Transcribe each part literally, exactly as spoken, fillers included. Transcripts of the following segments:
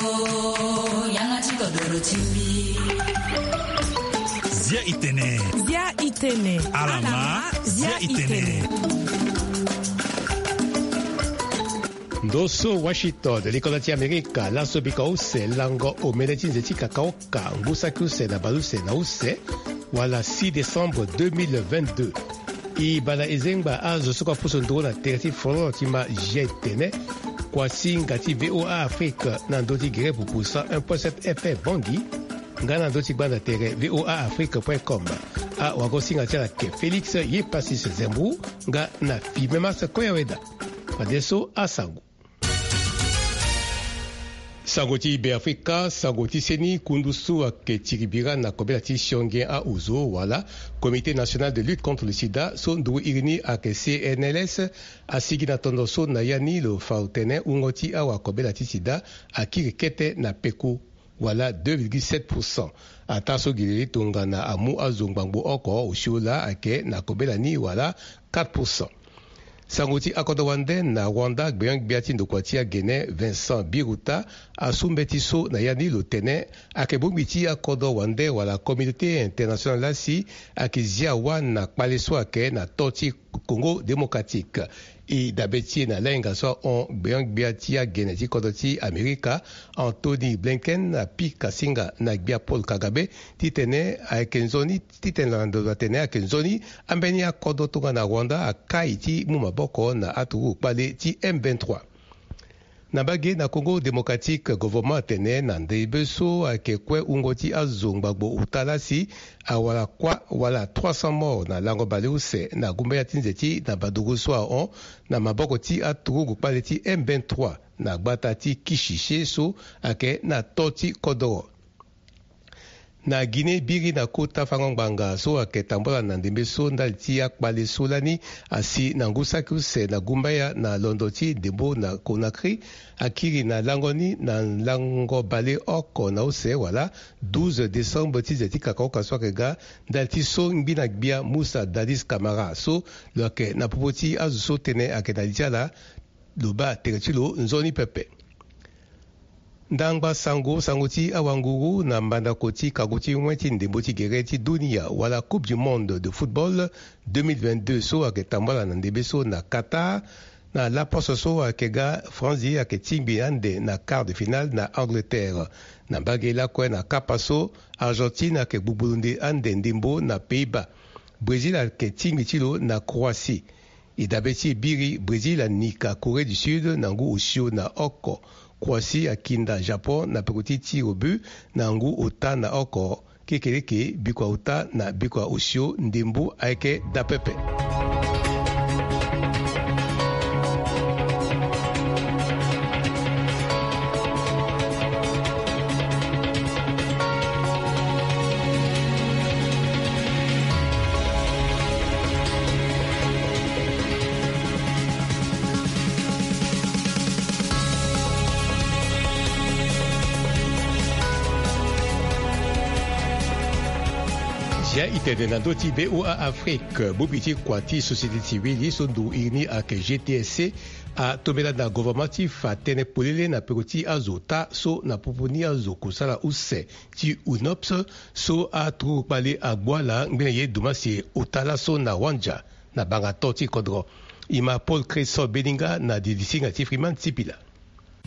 Zia itene. Zia itene. Alama, zia itene. Ndo so Washington, likolo ti Amerika, laso bika use lango omene ti nze ti kakaoka, ngu saki use na baleuse na use, wala six décembre deux mille vingt-deux. E banda e zengba azo so kue apusu nduru na tere ti folon ti ma zia etene, kua singa ti V O A Afrique na ndö ti gere pupu cent un point sept F M Bangui, nga na ndö ti gbanda tere V O A Afrique point com. Awagosinga ti ala ke Félix Yepasis Zembou, nga na Fimemas Koyaweda. Fadeso asango. Sango ti Beafrika, sango ti seni, kundu so ayeke tiri bira na kobela ti sionge aozo wala Comité National de Lutte contre le Sida, so nduru iri ni ayeke C N L S, asigi na tondo so na ya ni lo fa tene wungo ti awakobela ti sida akiri kete na peko, wala deux virgule sept pour cent. Ataa so gi lili tongana amu azo ngbangbo oko osio laa ayeke na kobela ni wala quatre pour cent. Sango ti akodro wande na Rwanda, gbenyo-gbia ti ndokua ti agene Vincent Biruta asu mbeti so na ya ni lo tene ayeke bongbi ti akodro wande wala communauté internationale laa si ayeke zia wâ na kpale so ayeke na to ti Congo Démocratique. E dabe ti e na lahinga so ahon gbenyo-gbia ti agene ti kodro ti Amerika, Anthony Blinken, apika singa na gbia Paul Kagame titene ayeke nzoni, titene na ndo atene ayeke nzoni ambeni akodro tongana Rwanda akai ti mu maboko na aturugu kpale ti M vingt-trois. Na mbage na Congo Démocratique, gouvernement atene na ndembe so ayeke kue wungo ti azo ngbangbo ota laa si awara kuâ wala trois cents morts na lango baleuse na gumbaya ti nze ti na baduru so ahon na maboko ti aturugu kpale ti M vingt-trois na gbata ti Kishishe so ayeke na to ti kodoro. Na Guinée, biri na kota fango ngbanga so ayeke tambula na ndembe so ndali ti akpale so lani asi na ngu saki use na gumbaya na londo ti ndembo na Conakry akiri na lango ni na lango baleoko na use wala douze décembre ti nze ti kakaoka so ayeke ga, ndali ti so ngbina gbia Moussa Dadis Camara so lo yeke na popo ti azo so tënë ayeke na li ti ala, lo baa tere ti lo nzoni pepe. Ndangba sango, sango ti awanguru na mbandako ti kago ti wen ti ndembo ti gere ti dunia wala Coupe du Monde de football deux mille vingt-deux so ayeke tambula na ndembe so na Qatar. Na laposo so ayeke ga, Franzi ayeke tingbi ande na quart de finale na Angleterre. Na mbage lakue na kapa so, Argentine ayeke gbugbulu nde ande ndembo na Pays-Bas. Brésil ayeke tingbi ti lo na Croatie. E dabe ti e biri, Brésil anika Corée du Sud na ngu osio na oko. Croatie akinda Japon na peko ti tir au but na ngu ota na oko. Kekereke, bikua ota na bikua osio, ndembo ayeke daa pepe. Zia itene na ndö ti V O A Afrique, bongbi ti kua ti société civile so nduru iri ni ayeke G T S C, atombela na gouvernement ti fa tënë polele na peko ti azo ota so na popo ni azo kusala use ti UNOPS so aturugu kpale agbu ala ngbene ye dumasi ota laso na Wandja, na banga to ti kodro. E ma Paul Cresson Beninga na didi singa ti Freeman Sipila.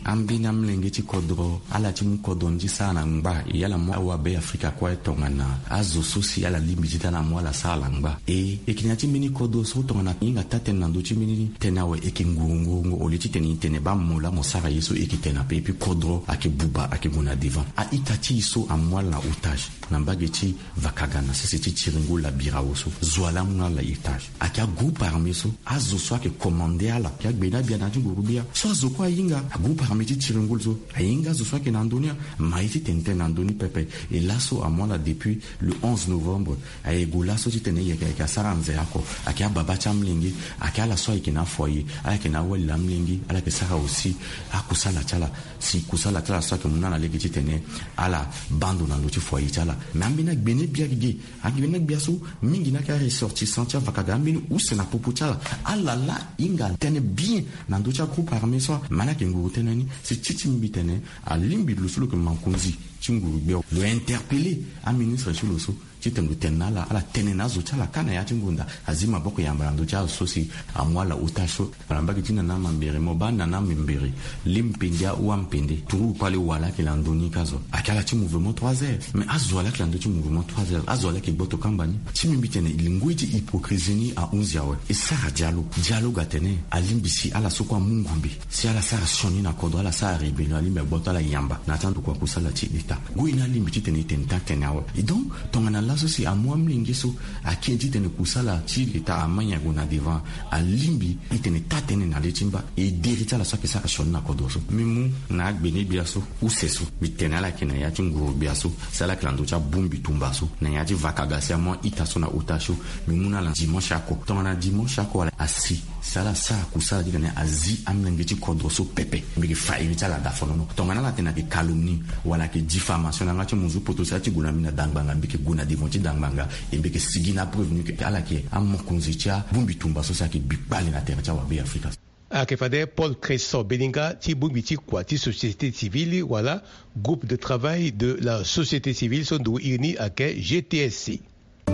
Ambeni amolenge ti kodro, ala ti mu kodro ni ti sara na ngba, e ala mu awabe Afrika kue tongana azo so si ala lingbi ti tene ala mu ala sara na ngba. E, e yeke na ya ti mbeni kodro so tongana e hinga taa-tënë na ndö ti mbeni tënë awe, e yeke nguru nguru nguru au lieu titene e tene baa mo laa mo sara ye so e yeke tene ape. Et puis kodro ayeke buba, ayeke gue na devant. A-ita ti e so amu ala na otage na mbage ti Vakaga na sese ti tiringo la birao so, zo wa laa amu na ala na otage. Ayeke agroupe armé so, azo so ayeke commandé ala, ayeke agbene abia na ya ti nguru-gbia so azo kue ahinga. Agroupe armé ti tiringo so ahinga azo so ayeke na ndö ni, amaï titene tënë na ndö ni pepe. E laso amu ala depuis le onze novembre. Aye gue laso titene e yeke, e yeke asara anze oko. Ayeke ababa ti amolenge, ayeke ala so ayeke na foyer, ala yeke na awali na amolenge, ala yeke sara aussi akusala ti ala. Si kusala ti ala so ayeke mu na ala lege titene ala baa ndo na ndö ti foyer ti ala. Me ambeni agbene-gbia ge, agbene-gbia so mingi ni ayeke aressortissant ti Vakaga, ambeni use na popo ti ala. Ala laa e hinga tënë bien na ndö ti agroupe armé so. Me ala yeke nguru tënë Si ti ti mbi tene alingbi lo so lo yeke mankonzi ti nguru gbia lo interpellé aministre ti lo so titene lo tene na ala ala tene na azo ti ala kâ na ya ti ngonda. Azi maboko yamba na ndö ti azo so si amu ala otage so. Ala mbage ti nana mambere mo baa nana mambere. Li mpende ahua mpende turu kpale wala ayeke na ndö ni ka zo ayeke ala ti mouvement trois heures mais azo wala ayeke na ndö ti mouvement trois heures azo wala ayeke gboto kamba ni. Ti mbi mbi tene ngoi ti hypocrisie ni ahunzi awe. E sara dialogue dialogue atene alingbi si ala so kue amu ngombe si ala sara sioni na kodro ala sara rébellion alingbi agboto ala yamba na ya ti andokua kusala ti leta. Ngoi ni alingbi titene e tene taa tene awe. E donc tongana laso si amu amolenge so ake titene kusala ti leta ama nyen ague na devant. Alingbi e tene taa tënë na le ti mba e deri ti ala so ayeke sara sioni na kodro so. Mbi mu na agbene gbia so use so mbi tene ala yeke na ya ti nguru gbia so si ala yeke na ndö ti abongbi tumba so na ya ti vakaga si amu a-ita so na otage so. Mbi mu na ala dimanche oko tongana dimanche oko wala asi si ala sara kusala titene azi amolenge ti kodro so pepe. Mbi yeke fa iri ti ala daa fonono tongana ala tene ayeke calomnie wala ayeke diffamation na yanga ti munzu poto si ala ti gue na mbi na dangbanga mbi yeke gue na devant ti dangbanga. E mbi yeke sigi na apreuve ni ke ala yeke amokonzi ti abongbi tumba so si ayeke bi kpale na tere ti awabe afrika. Ayeke fade Paul Cresson Beninga ti bongbi ti kua ti société civile wala groupe de travail de la société civile so ndo iri ni ayeke G T S C. E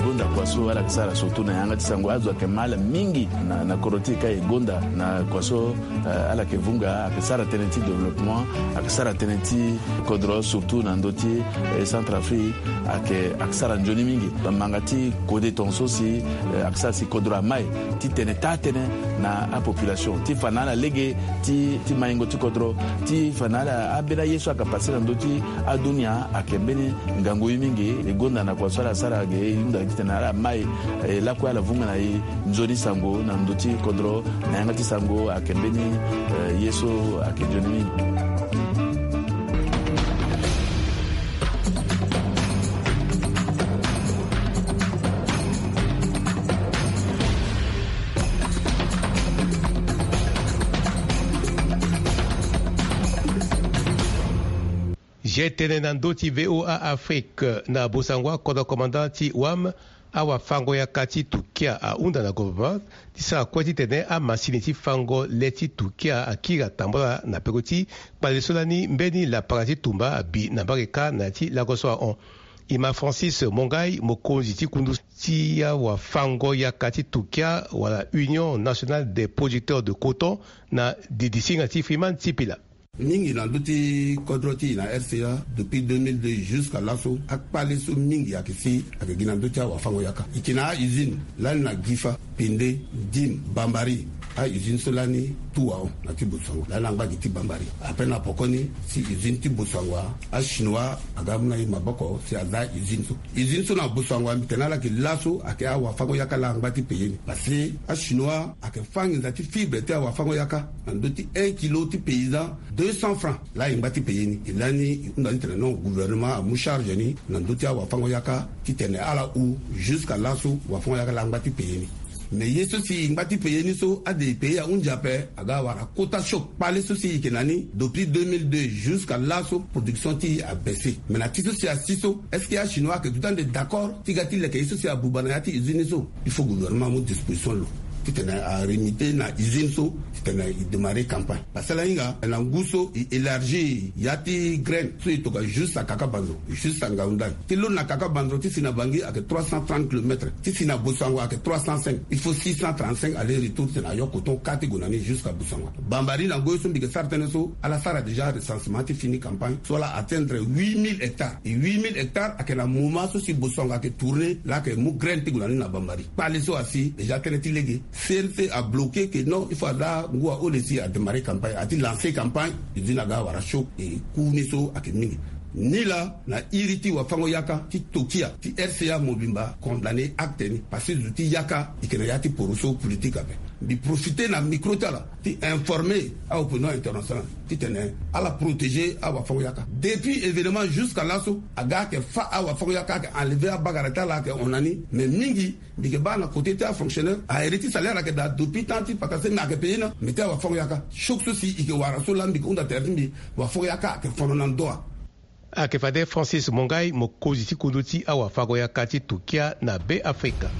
gonda kua so ala yeke sara surtout na yanga ti sango azo ayeke ma ala mingi na na kodro ti e ka e gonda na kua so. Ala yeke vunga ayeke sara tënë ti développement ayeke sara tënë ti kodro surtout na ndö ti centre afrique. Ayeke ayeke sara nzoni mingi bamanga ti kode tonga so si ayeke sara si kodro ama e ti tene taa tënë na apopulation ti fa na ala lege ti ti maingo ti kodro ti fa na ala ambeni aye so ayeke pase na ndö ti adunia ayeke mbeni ngangu ye mingi. E gonda na kua so ala sara ge e hunda titene ala ma e lakue ala vunga na e nzoni sango na ndö ti kodro na yanga ti sango ayeke mbeni ye so ayeke nzoni mingi. Ge tene na ndö ti V O A Afrique na bosango akodro commandant ti wam. Awafango-yaka ti Turquia ahunda na gouvernement ti sara kue titene amasini ti fango le ti Turquia akiri atambula na peko ti kpale so lani mbeni lapara ti tumba abi na mbage kâ na ya ti lako so ahon. E ma Francis Mongai mokonzi ti kundu ti awafango-yaka ti Turquia wala Union nationale des producteurs de coton na didisinga ti Freeman Sipila. Mingi na ndö ti kodro ti e na R C A depuis deux mille deux jusqu'à laso akpale so mingi ayeke si ayeke gi na ndö ti awafango-yaka. E yeke na a-usine lani na Gifa, Pende, Dim, Bambari. A-usine so lani tu ahon na ti Bosango lani angba gi ti Bambari. Après na pokoni si usine ti Bosango achinois aga amu na e maboko si aza usine so. Usine so na Bosango mbi tene ala yeke laso ayeke awafango-yaka laa angba ti paye ni parce que achinois ayeke fâ nginza ti fibre ti awafango-yaka na ndö ti un kilo ti paysan deux cents francs. Laa e ngba ti paye ni e lani e hunda titene non gouvernement amu charge ni na ndö ti awafango-yaka titene ala hu jusqu'à laso wafango-yaka laa angba ti paye ni. Mais ye so si e ngba ti paye ni so ade e paye ahunzi ape aga awara kota choc. Kpale so si e yeke na ni depuis deux mille deux jusqu'à laso production ti e abaisse. Mais na ti so si asi so est-ce que achinois ayeke duti ande d'accord ti ga ti leke ye so si abuba na ya ti usine ni so? Il faut gouvernement amu disposition lo titene arimite na usine so titene e démarrer campagne. Parce que ala hinga na ngu so e élargir ya ti graine so e toka juste à Kakabanzo, juste à Ngaoundal ti lo na Kakabanzo ti si na Bangui ayeke trois cent trente kilomètres ti si na Bosango ayeke trois cent cinq. Il faut six cent trente-cinq aller retour titene ayo coton kâ ti gue na ni jusqu'à Bosango. Bambari na ngoi so mbi yeke sara tënë so ala sara déjà recensement ti fini campagne so ala atteindre huit mille hectares. E huit mille hectares ayeke na moment so si Bosango ayeke tourner laa ayeke mu graine ti gue na ni na Bambari. Kpale so asi déjà tënë ti lege C N C abloqué que non il faut aza ngu ahole si adémarrer campagne ati lancer campagne. Usine aga awara choc e ku ni so ayeke mingi. Ni laa na iri ti wafango-yaka ti Turquia ti R C A mobimba condamné acte ni parce que zo ti yaka e yeke na ya ti poroso politique ape. Mbi profiter na micro ti ala ti informer aopinion internationale titene ala protéger awafango-yaka. Depuis événement jusqu'à laso aga ayeke fâ awafango-yaka ayeke enlever abagara ti ala ayeke hon na ni. Mais mingi mbi yeke baa na côté ti afonctionnaire ahere ti salaire ayeke daa depuis temps ti paka se mais ayeke paye na mais ti awafango-yaka choc so si e yeke wara so laa mbi yeke hunda tere ti mbi. Wafango-yaka ayeke fono na ndoa. Ayeke fade Francis Mongai mokonzi ti kundu ti awafango-yaka ti Turquia na Be Afrika.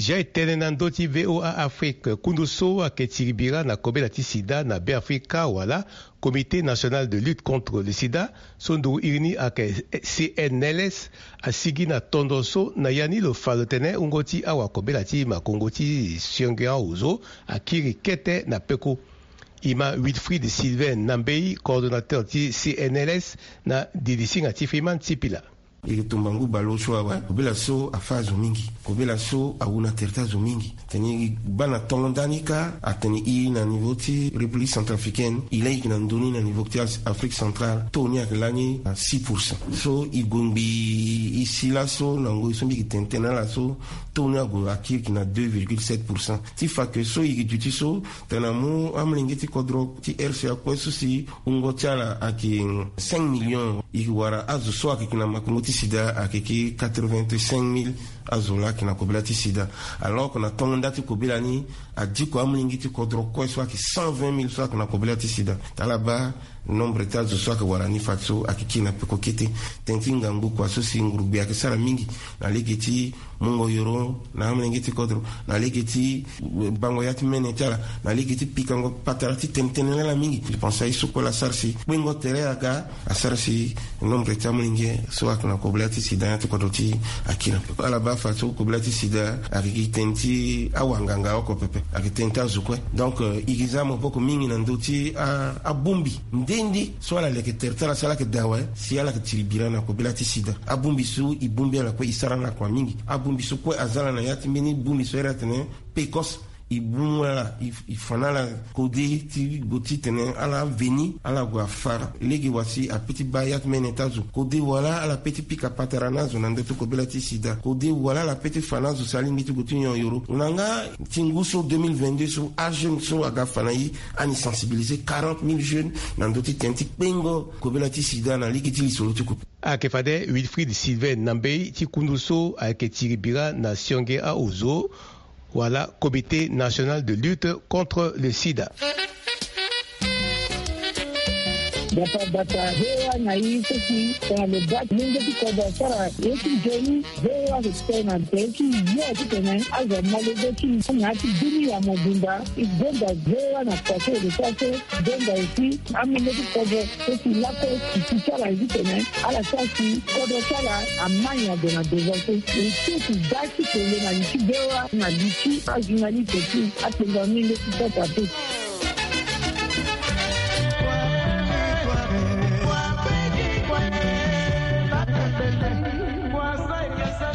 Ya e tene na ndö ti VOA Afrique, kundu so ayeke tiri bira na kobela ti sida na Beafrika wala Comité National de Lutte contre le Sida, so nduru iri ni ayeke C N L S, asigi na tondo so na ya ni lo fa lo tene wungo ti awakobela ti makongo ti sionge aozo akiri kete na peko. E ma Wilfried Sylvain Nambey, coordonnateur ti C N L S, na didisinga ti Freeman Sipila. E tumba ngu baleosio awe, kobela so afâ azo mingi, kobela so awu na tere ti azo mingi. Tene e baa na tongo ndani kâ, atene e na niveau ti République centrafricaine, e laa e yeke na ndö ni na niveau ti Afrique centrale, taux ni ayeke lani na six pour cent. So e gue ngbii e si laso na ngoi so mbi yeke tene tënë na ala so, taux ni ague akiri yeke na deux virgule sept pour cent. Ti fa ke so e yeke duti so, tene amu amolenge ti kodro ti R C A kue so si wungo ti ala ayeke cinq millions. E yeke wara azo so ayeke na makongo ti sida ayeke quatre-vingt-cinq mille azo laa ayeke na kobela ti sida. Alors que na tongo nda ti kobela ni, adiko amolenge ti kodro kue so ayeke cent vingt mille so ayeke na kobela ti sida. Tala baa nombre ti azo so ayeke wara ni fadeso ayeke kiri na peko kete. Tënë ti ngangu kua so si ngurugbi ayeke sara mingi na lege ti mungo yoro na amolenge ti kodro, na lege ti bango ya ti mene ti ala, na lege ti pikango patara ti tene tënë na ala mingi. Mbi pense aye so kue laa asara si kpengo tere aga, asara si nombre ti amolenge so ayeke na kobela ti sida ya ti kodro ti akiri na peko. Ala baa fadeso kobela ti sida ayeke gi tënë ti awanganga oko pepe, ayeke tënë ti azo kue. Donc, euh, e gi za maboko mingi na ndö ti a, abongbi nde nde so ala leke tere ti ala si ala yeke daa awe, si ala yeke tiri bira na kobela ti sida. Abongbi so e bongbi ala kue e sara na kua mingi. Abongbi so kue aza ala na ya ti mbeni bongbi so iri atene P C O S, e bongbi ala, e, e fa na ala kode ti gue ti tene ala veni, ala gue afa lege wa si ape ti baa ya ti mene ti azo. Kode wala ala pe ti pika patara na azo na ndö ti kobela ti sida. Kode wala ala pe ti fa na azo si alingbi ti gue ti nyon yoro. Na nga ti ngu so deux mille vingt-deux so, ajeune so aga fa na e, ani sensibiliser quarante mille jeunes na ndö ti tene ti kpengo kobela ti sida na lege ti lisoro ti kopo. Ayeke fade Wilfried Sylvain Nambey ti kundu so ayeke tiri bira na sionge aozo, wala Comité National de Lutte contre le Sida. Bata bata, V O A na e so si tongana lo baa ti lenge ti kodro asara ye ti nzoni, V O A ayeke tene na tere ti yo titene azo amolenge ti e na ya ti dunia mobimba. E gonda V O A na kua so e lo sara so, gonda aussi amolenge ti kodro so si lakue e si ti ala ye titene ala sara si kodro ti ala ama nyango na devant so. E ti e si da ti kele na li ti V O A na li ti ajournaliste ti akpengba mingi ti sasa te.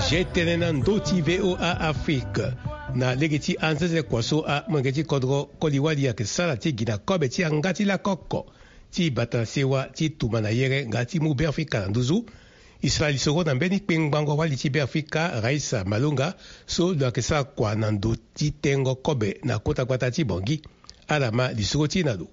Zia e tene na ndö ti V O A Afrique, na lege ti anzenze kua so amolenge ti kodro koli-wali ayeke sara ti gi na kobe ti yanga ti lakoko ti bata na sewa ti tumba na yere nga ti mu Beafrika na nduzu. E sara lisoro na mbeni kpengbango wali ti Beafrika, Raissa Malonga, so lo yeke sara kua na ndo ti tengo kobe na kota gbata ti Bangui. Ala ma lisoro ti e na lo.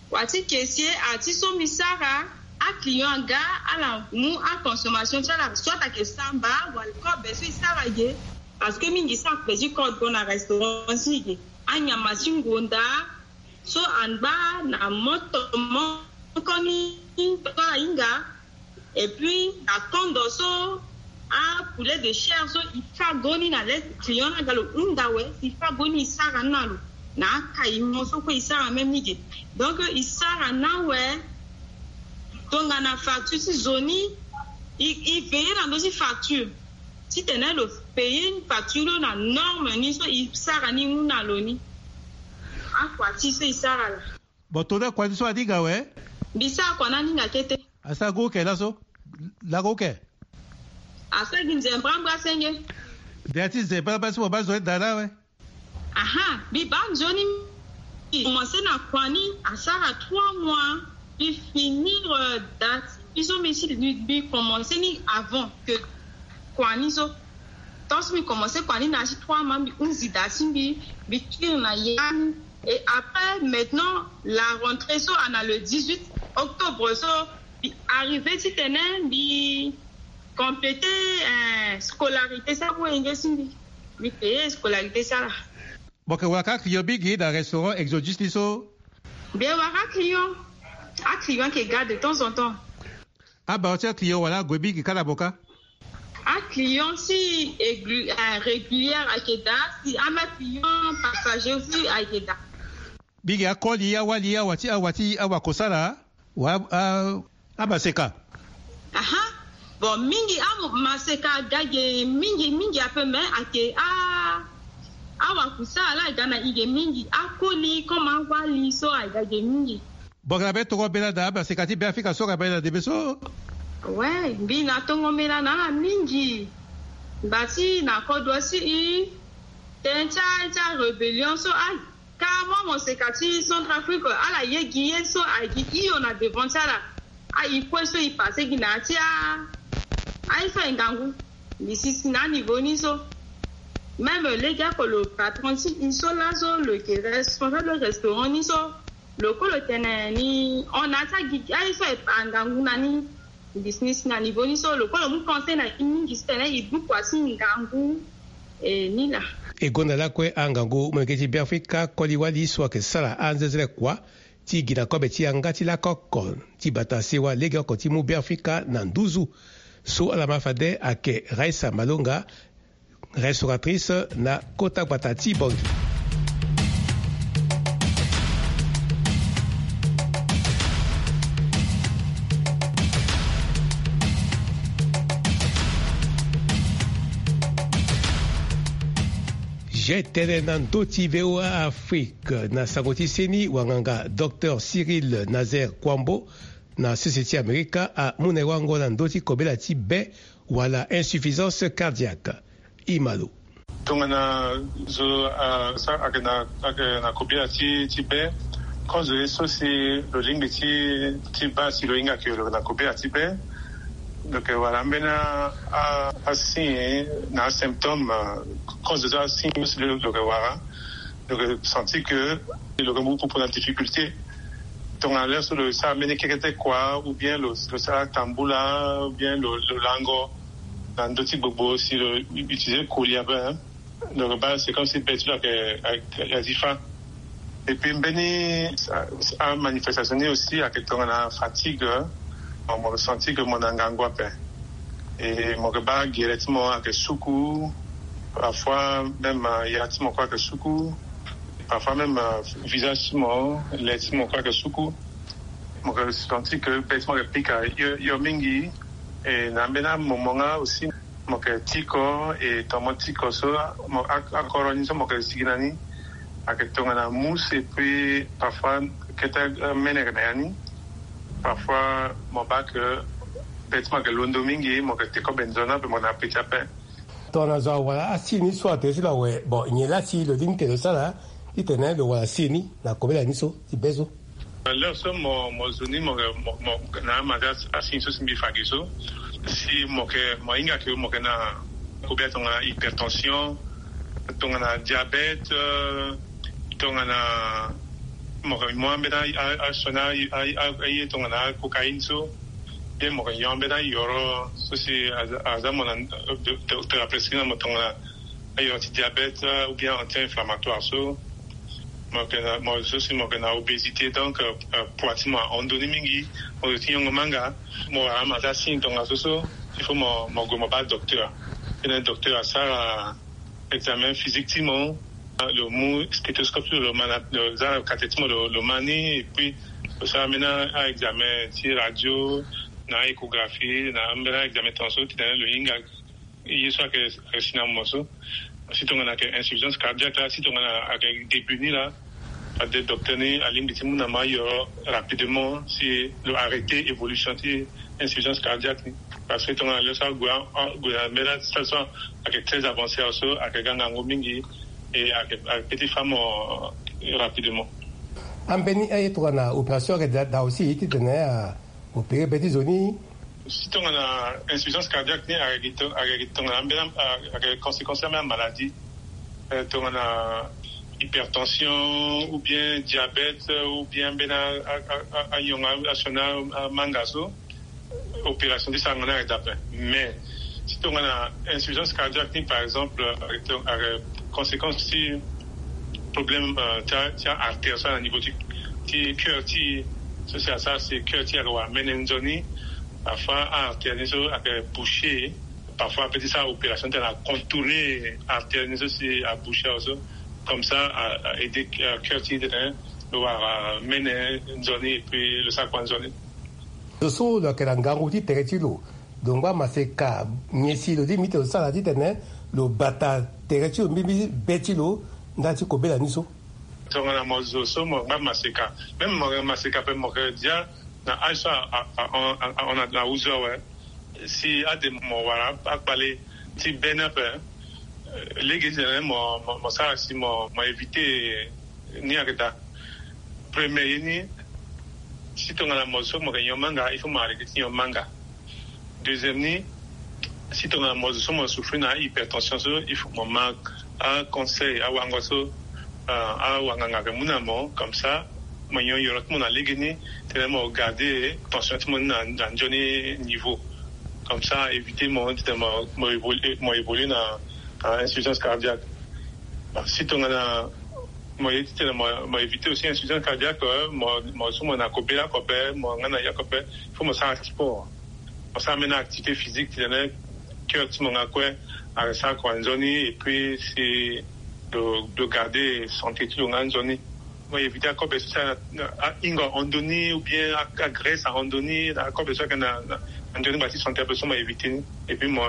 Kua ti kese ati so mbi sara, aclient aga, ala mu aconsommation ti ala, soit ayeke samba wala kobe so e sara ge. Parce que mingi so akpe ti kodro na restaurant ti e ge, anyama ti ngonda so angba na moto moko ni so ahinga. Et puis na kondo so apoulet de chair so e fa goni na le client ni aga lo hunda awe, e fa goni e sara ni na lo na akaimo so kue e sara même ni ge. Donc e sara ni awe. Tongana facture ti zo ni, e, e veiller na ndö ti facture titene lo payer facture lo na norme ni so e sara ni mu na lo ni. Akua ti so e sara laa. Bon, tongana kua ti so aninga awe? Mbi sara kua ni aninga kete. Asara gue oke laso? Lako oke? Asara gi nzembra mbra senge. Ndia ti nzembra mbra so mo baa nzoni daa na awe? Aha, mbi baa nzoni. Mbi commencé na kua ni asara trois mois. Mbi finir, euh, da ti mbi so mbi si mbi, mbi commencé ni avant que kua ni so. Tant so mbi commencé kua ni na ya ti trois mois, mbi hunzi da ti mbi, mbi kiri na ya ni. Et après, maintenant, la rentrée so ana le dix-huit octobre so, mbi arrivé titene mbi compléter, euh, scolarité so amu wenge ti mbi. Mbi payer scolarité so ala. Mo yeke wara kâ client mingi na restaurant Exodus ni so? Mbi yeke wara client. Aclient ayeke ga de temps en temps. Abaro ti aclient wala ague mingi kâ na mo kâ? Client si régulière ayeke daa, si ama client passager aussi ayeke daa. Mingi akoli awali awa ti awa ti awa kosala wa amaseka. Aha. Bon, mingi amaseka aga ge mingi mingi ape, mais ayeke a awa kosala la aga na i ge mingi, akoli comme awali so aga ge mingi. Bongela be tongo mbela na amaseka ti Beafrika so aga mbela na ndembe so. Ouais, mbi na tongo mbela na ala mingi. Mba ti na kodro si i tënë ti a ti a rébellion so a ka mwa moseka ti Centrafrique ala ye gi ye so ayeke hio na devant ti ala. Aye kue so e passe gi na ya ti a aye so aye ngangu. Mbi sisi na aniveau ni so. Même lege oko le patron ti e so laso lo yeke responsable restaurant ni so. Lo kue lo tene ni hon na ya ti agigi aye so aye angangu na ni. Mbi si ni si na niveau ni so lo kue lo mu conseil na e mingi si tene e duku asi ngangu. E ni laa. E gonda lakue angangu molenge ti Beafrika koli wali so ayeke sara anzenzele kua ti gi na kobe ti yanga ti lakoko ti bata sewa lege oko ti mu Beafrika na nduzu. So ala ma fade ayeke Raissa Malonga, restauratrice na kota gbata ti Bangui. Ge tene na ndö ti V O A Afrique na sango ti seni wanganga Docteur Cyril Nazaire Kouambo na sese ti Amerika amu na e wango na ndö ti kobela ti be wala insuffisance cardiaque. Imalo. Tongana zo ayeke na kobela ti be, kozo ye so si lo lingbi ti baa si lo hinga ke lo yeke na kobela ti be. Lo yeke wara ambeni asigne na asymptôme. Kozo so asigne so si lo yeke wara, lo yeke senti ke lo yeke mu popo na difficulté. Tongana lere so lo sara mbeni kekete kua ou bien lo sara tambula ou bien lo lango na ndö ti gbogbo si lo utiliser koli ape. Donc baa c'est comme si be ti lo ayeke ya ti fa. Et puis mbeni amanifestation ni aussi ayeke tongana fatigue. Mo senti ke mo na ngangu ape. Et mo yeke baa gere ti mo ayeke suku. Parfois même ya ti mo kue ayeke suku. Parfois même visage ti mo, le ti mo kue ayeke suku. Mo yeke senti ke be ti mo ayeke pika hio mingi. Et na ambeni amomo nga aussi mo yeke tiko. Et tongana mo tiko so akoro ni so mo yeke sigi na ni ayeke tongana mousse. Et puis parfois kete mene ayeke na ya ni. Parfois mo baa ke be ti mo ayeke londo mingi, mo yeke te kobe nzoni ape, mo yeke na peti ape. Tongana zo awara asi ni so atene ti lo awe, bon, nyen laa si lo lingbi ti lo sara titene lo wara asi ni na kobela ni so ti be so? Lere so mo zo ni mo na ama ti asi ni so si mbi fa gi so, si mo yeke mo hinga ke mo yeke na kobela tongana hypertension, tongana diabète, tongana mo yeke mu ambeni asioni aye tongana acocaïne so. Bien mo yeke nyon ambeni ayoro so si aza mo na docteur aprescrit na mo tongana ayoro ti diabète ou bien anti-inflammatoire so. Mo yeke na mo so si mo yeke na obésité, donc poids ti mo ahon ndoni mingi. Mo zo ti nyongo manga. Mo wara ama ti asigne tongaso so, il faut mo gue mo baa docteur. Tene docteur asara examen physique ti mo. Lo mu stéthoscope ti lo, lo ma na lo za na kate ti mo, lo ma ni. Et puis lo sara ambeni aexamen ti radio na échographie na ambeni aexamen tongaso titene lo hinga ye so ayeke si na mo so. Si tongana ayeke insuffisance cardiaque laa, si tongana ayeke début ni laa, fade docteur ni alingbi ti mu na mo ayoro rapidement si lo arrêter évolution ti insuffisance cardiaque ni. Parce que tongana lo so ague ague na mbela stade so ayeke très avancé awe so, ayeke ga ngangu mingi. Et ayeke peut ti fa mo rapidement. Ambeni aye tongana opération ayeke daa aussi titene a opérer be ti zo ni. Si tongana insuffisance cardiaque ni ayeke tongana ambeni ayeke conséquence ambeni amaladie, tongana hypertension ou bien diabète ou bien ambeni anyongo asioni amanga so, opération ti sarango ni ayeke daa ape. Mais si tongana insuffisance cardiaque ni par exemple ayeke conséquence ti problème ti artère so na niveau ti cœur ti so si asara si cœur ti ayeke wara mene nzoni. Parfois artère ni so ayeke boucher. Parfois ape ti sara opération ti tene acontourner artère ni so si aboucher awe so. Comme ça a aide cœur ti tene lo wara mene nzoni et puis lo sara kua nzoni. Lo so lo yeke na ngangu ti tere ti lo, lo ngba maseka nyen si lo lingbi ti lo sara titene lo bata tere ti lo mbimbi be ti lo ndali ti kobela ni so? Tongana mo zo so mo ngba maseka, même mo maseka pe mo ke dia na age so ahon na uzu awe. Si ade mo wara akpale ti be ni ape, lege ti tene mo sara si mo éviter ni ayeke daa. Premier ye ni, si tongana mo zo so mo yeke nyon manga, il faut mo arrêter ti nyon manga. Deuxième ni, si tongana mo zo so mo souffrir na hypertension so, il faut mo ma aconseil awango so awanganga ayeke mu na mo, comme ça mo nyon yoro ti mo na lege ni, titene mo garder tension ti mo ni na nzoni niveau. Comme ça éviter mo titene mo évoluer na insuffisance cardiaque. Si tongana mo ye titene mo éviter aussi insuffisance cardiaque, mo so mo na kobela kobe, mo nga na ya kobe, il faut mo sara sport, mo sara mena activité physique titene cœur ti mo nga kue asara kua nzoni et puis si lo garder santé ti lo nga nzoni. Mo éviter akobe so si ahingo ahon ndoni ou bien agraisse ahon ndoni, akobe so ayeke na ndoni ngba ti santé ape so mo éviter ni. Et puis mo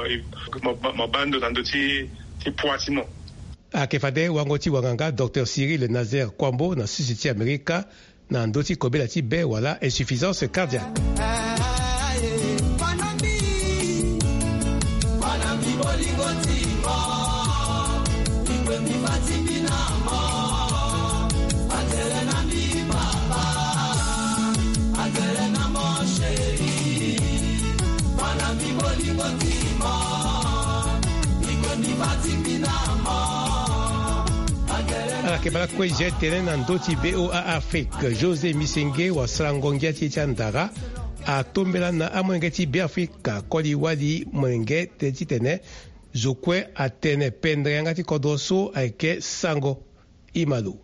baa ndo na ndö ti poids ti mo. Ayeke fade wango ti wanganga docteur Cyril Nazaire Kwambo na sisi ti Amerika na ndö ti kobela ti be wala insuffisance cardiaque. Ala yeke baa lakue zia tene na ndö ti VOA Afrique, José Misenge wasarango ngia ti e ti andara atombela na amolenge ti Beafrika koli wali molenge tene titene zo kue atene pendere yanga ti kodro so ayeke sango. Imalo.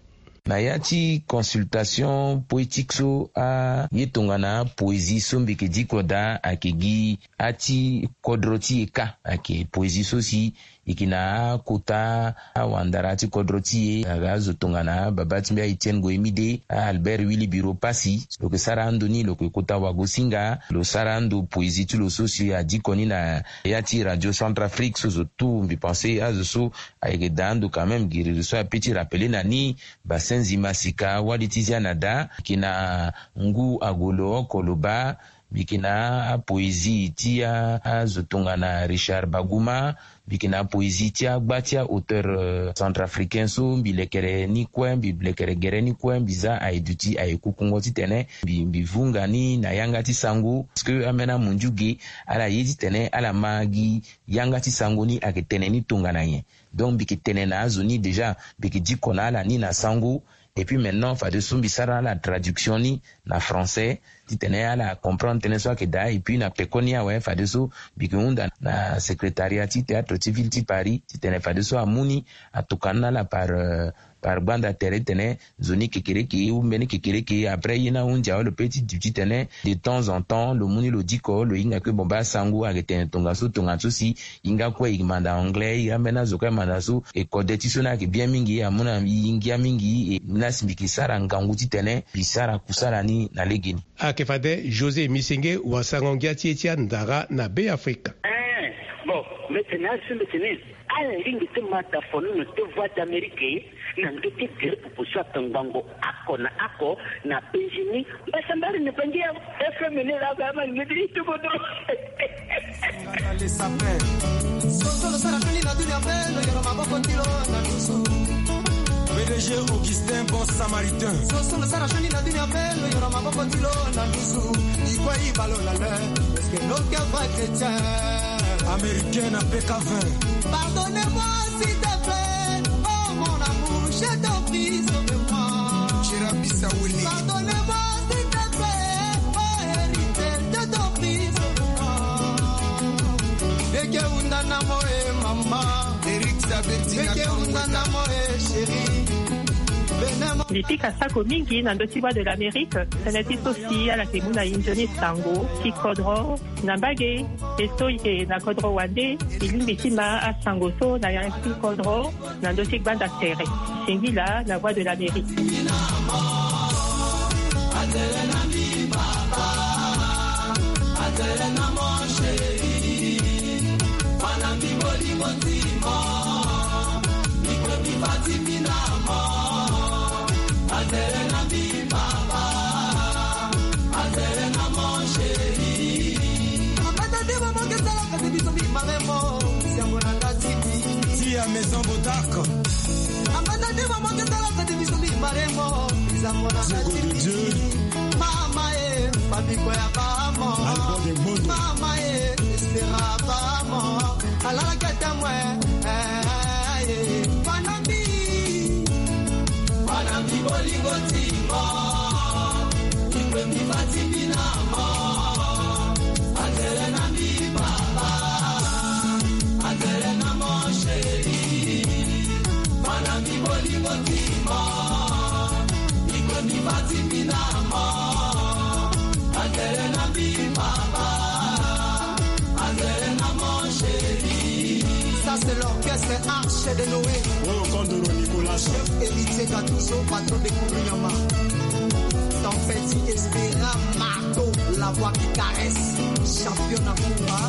Na ya ti consultation poétique so aye tongana apoésie so mbi yeke diko daa ayeke gi ati kodro ti e kâ. Ayeke poésie so si e yeke na akota awandara ti kodro ti e aga azo tongana baba ti mbi a-Etienne Goemide, a-Albert Willy Biro Passy. Lo yeke sara ando ni lo yeke kota wagosinga. Lo sara ando poésie ti lo so si adiko ni na ya ti Radio Centrafrique so zo tout mbi pense azo so ayeke daa ando quand même giriri so ape ti rappeler na ni. Basenzi masika wali ti zia na daa. Mbi yeke na ngu agolo oko lo baa. Mbi yeke na apoésie ti azo tongana Richard Baguma. Mbi yeke na apoésie ti agba ti aauteur centrafricain so mbi lekere ni kue, mbi lekere gere ni kue, mbi za aye duti aye kukungo titene mbi vunga ni na yanga ti sango. Parce que ambeni amundiu ge ala ye titene ala ma gi yanga ti sango ni ayeke tene ni tongana nyen. Donc mbi yeke tene na azo ni déjà, mbi yeke diko na ala ni na sango. Et puis maintenant fadeso mbi sara ala traduction ni na français titene ala comprendre tënë so ayeke daa. Et puis na pekoni awe fadeso mbi yeke hunda na secrétariat ti théâtre ti ville ti Paris titene fadeso amu ni atokua ni na ala par par gbanda tere titene nzoni kekereke ou mbeni kekereke après ye ni ahunzi awe lo pe ti duti titene de temps en temps lo mu ni lo diko lo hinga kue. Bon baa sango ayeke tene tongaso tongaso si e nga kue e manda anglais, e ambeni azo kue amanda so. E kode ti so ni ayeke bien mingi, amu na e ngia mingi. E na si mbi yeke sara ngangu titene mbi sara kusala ni na legeni. Ayeke fade José Misenge wasarango ngia ti e ti andara na Beafrika. Bon, mbetene azo so mbetene ala lingbi ti ma dafonono ti Voix d'Amérique na ndö ti gere pupu so akangbango oko na oko na penzi ni. Mbasambari na bangi ya F M ni laa ba ma ngedi ti kodro. Soso lo sara feni na dunia mpe lo yoro maboko ti lo na dusu. P D G Augustin Bon Samaritain. Soso lo sara feni na dunia mpe lo yoro maboko ti lo na dusu. Ikwe ibalo la le. Est-ce que l'autre va chrétien? Américain na P K vingt. Pardonnez-moi s'il te plaît, oh mon amour, je t'en prie, sauve-moi. Chira Bissawili. Pardonnez-moi s'il te plaît, oh héritier, je t'en prie, sauve-moi. Eke unda na mo e mama. Eric Saberti. Eke unda na mo e chérie. Bene mo Mbi pika sako mingi na ndö ti Voix de l'Amérique. Tënë ti so si ala yeke mu na e nzoni sango ti kodro na mbage. E so e yeke na kodro wande, e lingbi ti ma asango so na yanga ti kodro na ndö ti gbanda tere. Singila na Voix de l'Amérique. Tia Maison Bodark. Diego de Dieu. Mama e, famiko ya bamo. Albert de Mono. Mama e, Estera bamo. Alala kete mwe. Eh, eh, eh. Panami. Panami bolingo timo. Ikwe mi fati mi na mo. Atele na mi papa. Atele na mo chéri. Panami bolingo timo. Ikwe mi fati mi na mo. Atele na mi papa. Atele na mo chéri. Ça, c'est l'orchestre Arche de Noé. Oh, Kondoro Nicolas. Chef Héritier Gattuso, patron de Kourounyama. Ton petit Espéra Marco, la voix qui caresse. Champion na Kumba.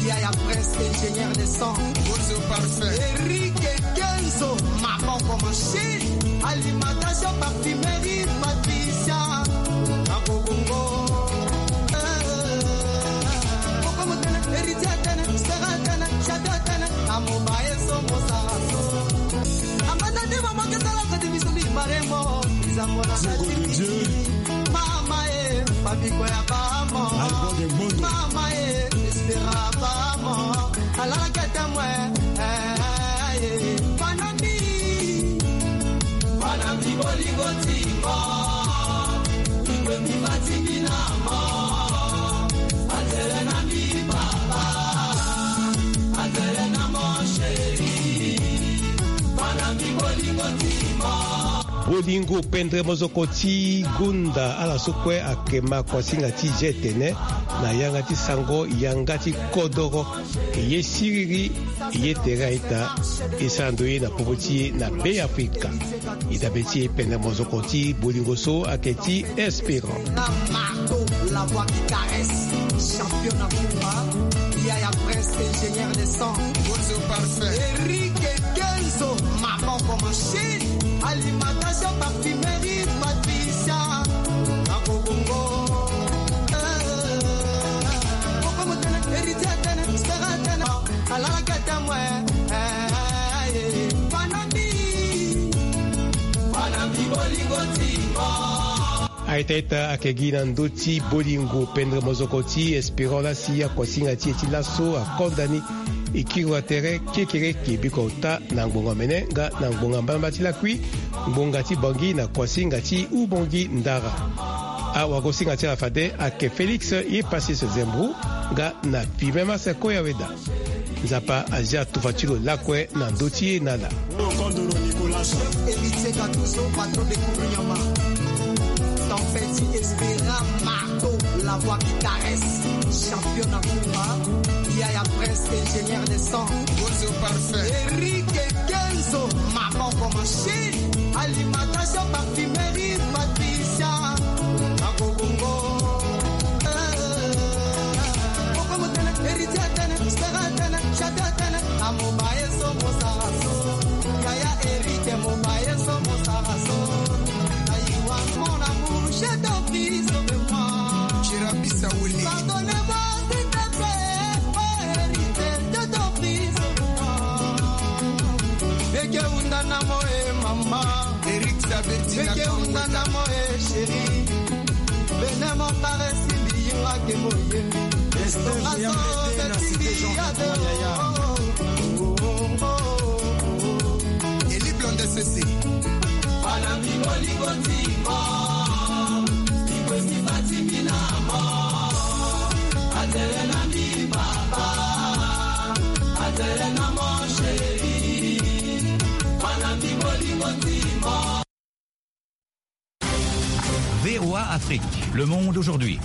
Yaya Prince, ingénieur de son. Bozo parfait. Eric Kenzo, Maboko Machine. Alimentation, parfumerie, Patricia. Akobongo. Eh. Héritier tene, Stera tene, Chata tene, amobaye so mosara so. Amanda de mama ke sala kati biso bi maremo, bizango na kati. Mama e, Fabiko ya bamo. Mama e, Stera bamo. Alala kete mwe. Eh, eh, eh. Panami. Panami bolingo timo. Ikwe mi fati mi na mo. Atele na mi papa. Atele na mo chéri. Panami bolingo timo. Bolingo pendre mozoko ti gonda ala so kue ayeke ma kuasinga ti je tene na yanga ti sango yanga ti kodoro. E ye siriri, e ye tere a-ita, e sara ndo ye na popo ti e na Be Afrika. E dabe ti e pendre mozoko ti bolingo so ayeke ti Espérant. Na marteau, la voix qui caresse, champion na Kumba, Yaya Prince, ingénieur de son, Bozo parfait, Eric Kenzo, Maboko Machine, alimentation, parfumerie, Patricia, Akobongo. Eh, Koko Motene, Héritier Tene, Stera Tene. Alala kete mwe, eh, eh, eh, Panami. Panami bolingo timo. A-ita a-ita ayeke gi na ndö ti bolingo pendre mozoko ti Espérant la si akuasinga ti e ti laso akonda ni. E kiri wa tere kekereke biko ota na ngbonga mene nga na ngbonga mbalambala ti lakui, ngbonga ti Bangui na kuasinga ti Ubangui Ndara. Awagosinga ti ala fade ayeke Félix Yepassis Zembro nga na Fibe Maseko Yaweda. Nzapa azia tufa ti lo lakue na ndö ti e na ala. Héritier Gattuso, patron de Kourounyama. Tempête Espéra Marteau, la voix qui caresse. Champion na Kumba, Yaya Prince, ingénieur de son. Bozo parfait. Eric Kenzo, Maboko Machine. Alimentation, parfumerie, Patricia. Akobongo. Eh, Koko Motene, Héritier Tene, Stera Tene, Chata Tene. Amobaye so mosara so. Yaya Eric, mobaye so mosara so. Ayiwa, mon amour, je t'en prie, sauve-moi. Chirapisa Wuli. Pardonne-moi, s'il te plaît, oh Héritier, je t'en prie, sauve-moi. Eke unda na mo e mama. Eric Sabeti na Eke unda na mo e chéri. Bene mo caresse, mbi yinga ke mo ye. Esther Yambete na Cité Jean Yaya. Eli Blonde Sese. Bana mi bolingo ti mo. Ikwe mi fati mi na mo. Atele na mi papa. Atele na mo chéri. Bana mi bolingo ti mo. Le Monde aujourd'hui.